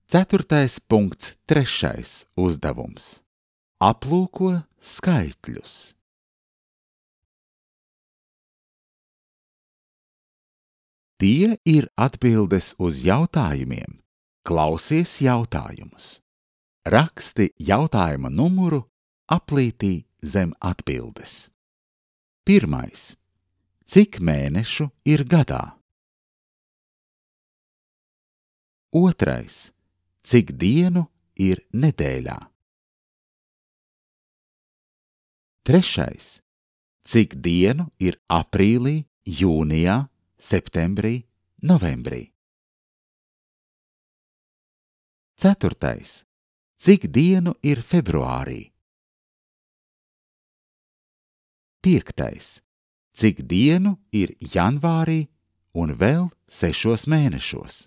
4.3. uzdevums. Aplūko skaitļus. Tie ir atbildes uz jautājumiem. Klausies jautājumus. Raksti jautājuma numuru aplītī zem atbildes. 1. Cik mēnešu ir gadā? 2. Cik dienu ir nedēļā? 3. Cik dienu ir aprīlī, jūnijā, septembrī, novembrī? 4. Cik dienu ir februārī? 5. Cik dienu ir janvārī un vēl 6 mēnešos?